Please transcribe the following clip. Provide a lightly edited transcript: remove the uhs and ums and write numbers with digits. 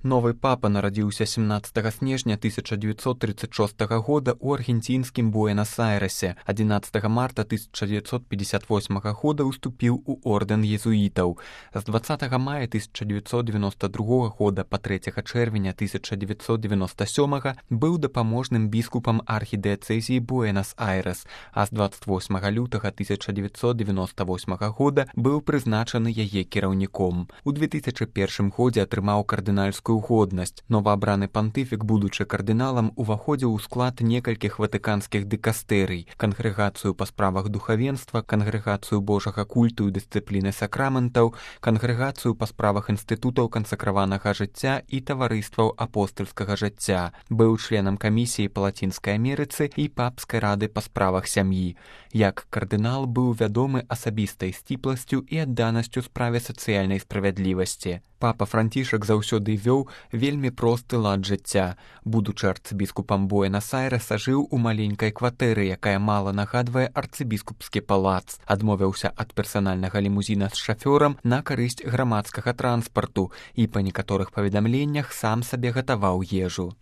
Новы папа нарадзіўся 17 снежня 1936 года ў аргенцінскім Буэнас-Айрэсе. 11 марта 1958 года уступіў у ордэн езуітаў. З 20 мая 1992 года па 3 чэрвеня 1997 быў дапаможным біскупам архідыяцэзіі Буэнас-Айрэс, а з 28 лютага 1998 года быў прызначаны яе кіраўніком. У 2001 годзе атрымаў кардынальскую годнасць. Новаабраны пантыфік, будучы кардыналам, уваходзіў у склад некалькіх ватыканскіх дыкастэрый: кангрэгацыю па справах духавенства, кангрэгацыю божага культу і дысцыпліны сакраментаў, кангрэгацыю па справах інстытутаў кансакраванага жыцця і таварыстваў апостальскага жыцця. Быў членам камісіі па Лацінскай Амерыцы і папскай рады па справах сям'і. Як кардынал быў вядомы асабістай сціпласцю і адданасцю справе сацыяльнай справядлівасці. Папа Францішак заўсёды вёў вельмі просты лад жыцця. Будучы арцыбіскупам Буэнас-Айрэса, жыў у маленькай кватэры, якая мала нагадвае арцыбіскупскі палац. Адмовіўся ад персанальнага лімузіна з шафёрам на карысць грамадскага транспарту і па некаторых паведамленнях сам сабе гатаваў ежу.